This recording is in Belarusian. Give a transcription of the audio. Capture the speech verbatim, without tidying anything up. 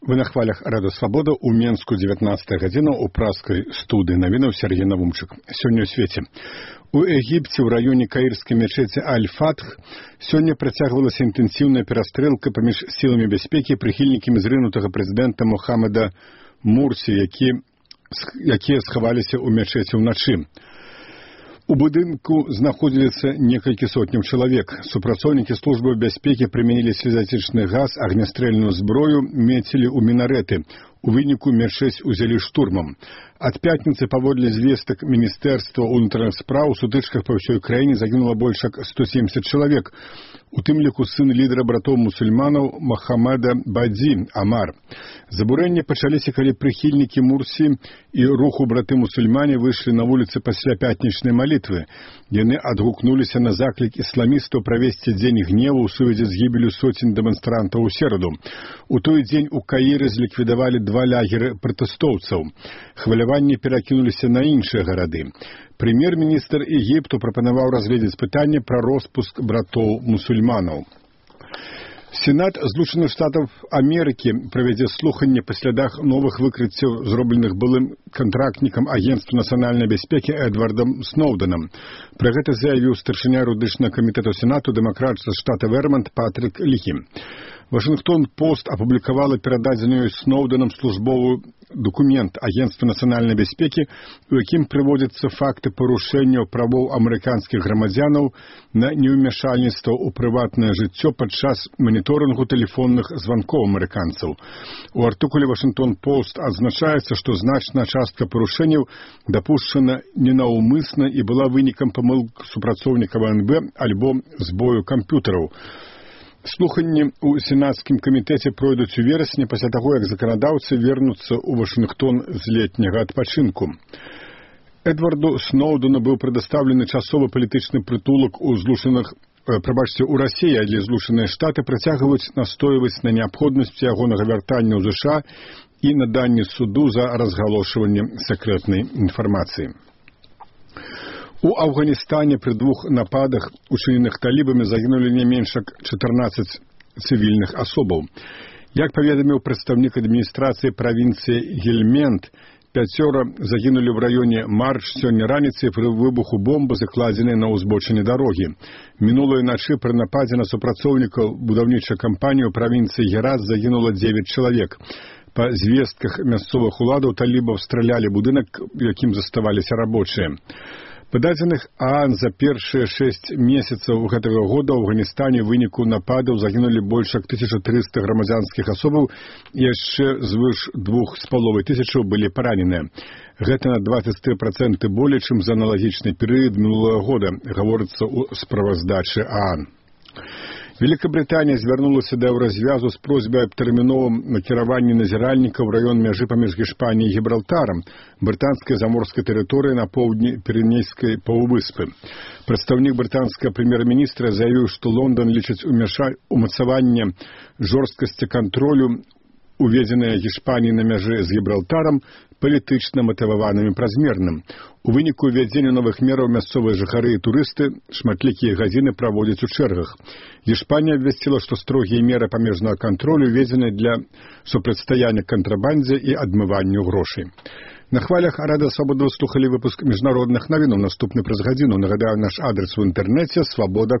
Вы на хвалях Рада Свабода у Менску дзевятнаццатая гадзіна ў праскай студыі навінаў Сергей Навумчык. Сёння ў свеце. У Егіпце ў раёне каірскай мечеці Аль-Фатх сёння працягвалася інтэнсіўная перастрэлка паміж сіламі бяспекі і прыхільнікамі зрынутага прэзідэнта Мухаммада Мурсі, які, якія схаваліся ў мечеці ўначы. У будынку знаходзіліся некалькі сотняў чалавек. Супрацоўнікі службы бяспекі прымянілі слезатычны газ, агнястрэльную зброю, мецілі ў мінарэты. У выніку мечэць узялі штурмам. Ад пятніцы паводле звестак Міністэрства ўнутраных спраў у сутычках па ўсёй краіне загінула больш як сто семьдесят чалавек, у тым ліку сын лідара братоў мусульманаў Мохаммеда Бадзі Амар. Забурэнні пачаліся, калі прыхільнікі Мурсі і руху браты-мусульмане выйшлі на вуліцы пасля пятнічнай малітвы. Яны адгукнуліся на заклік ісламістаў правесці дзень гневу ў сувязі з гібелю соцень дэманстрантаў у сераду. У той дзень у Каіры зліквідавалі два лагеры пратэстоўцаў. Хваляванні перакінуліся на іншыя гарады. Прэм'ер-міністр Егіпту прапанаваў разгледзець пытанне пра роспуск братоў-мусульманаў. Сенат Злучаных Штатаў Амерыкі правядзе слуханне па слядах новых выкрыццяў, зробленых былым кантрактнікам Агентства нацыянальнай бяспекі Эдвардам Сноўдэнам. Пра гэта заявіў старшыня юрыдычнага камітэту Сенату дэмакрат з штата Вермонт Патрик Ліхі. Вашингтон-Пост апублікавала перададзеную Сноўдэнам службовую документ Агентства нацыянальнай бяспекі, у якім прыводзяцца факты парушэнняў правоў амерыканскіх грамадзянаў на неўмяшальніцтва ў прыватнае жыццё падчас маніторынгу тэлефонных званкоў амерыканцаў. У артыкуле Вашингтон-Пост адзначаецца, што значная частка парушэнняў дапушчана ненаўмысна і была вынікам памылак супрацоўнікаў эн бэ альбо збою камп'ютараў. Слуханні ў сенацкім камітэце пройдуць у верасні пасля таго, як заканадаўцы вернуцца ў Вашынгтон з летняга адпачынку. Эдварду Сноўдэну быў прадастаўлены часовы палітычны прытулак у злучаных прабачце, у Расіі, але Злучаныя Штаты працягваюць настойваць на неабходнасці ягонага вяртання ў ЗША і наданні суду за разгалошванне сакрэтнай інфармацыі. У Афганістане пры двух нападах, учыненых талібамі, загінулі не менш як чатырнаццаць цывільных асобаў. Як паведаміў прадстаўнік адміністрацыі правінцыі Гельмент, пяцёра загінулі ў раёне Марч сёння раніцай пры выбуху бомбы, закладзенай на ўзбочыне дарогі. Мінулай начы пры нападзе на супрацоўнікаў будаўнічай кампаніі ў правінцыі Герат загінула дзевяць чалавек. Па звестках мясцовых уладаў талібаў стралялі будынак, у якім заставаліся рабочыя. Па дадзеных ААН за першыя шэсць месяцаў гэтага года ў Афганістане ў выніку нападаў загінулі больш як тысяча трыста грамадзянскіх асобаў і яшчэ звыш двух з паловай тысячаў былі параненыя. Гэта на дваццаць тры працэнты болей, чым за аналагічны перыяд мінулага года, гаворыцца ў справаздачы ААН. Великабрытанія звярнулася да развязу з просьбай аб тэрміновым накіраванні назіральнікаў у раён мяжы паміж Гішпаніяй і Гібралтарам, брытанскай заморскай тэрыторыі на поўдні Піренейскай паўвыспы. Прадстаўнік брытанскага прэм'ер-міністра заявіў, што Лондан лічыць умацаванне жорсткасці кантролю, уведзеныя Гішпаніяй на мяжы з Гібралтарам, палітычна матываваным і празмерным. У выніку ўвядзення новых мераў мясцовыя жыхары і турысты шматлікія гадзіны праводзяць у чэргах. Гішпанія абвясціла, што строгія меры памежнага кантролю ўведзены для супрацьстаяння кантрабандзе і адмыванню грошай. На хвалях Рада Свабода слухалі выпуск міжнародных навінаў. Наступны праз гадзіну. Нагадаю, наш адрес у інтэрнэце свабода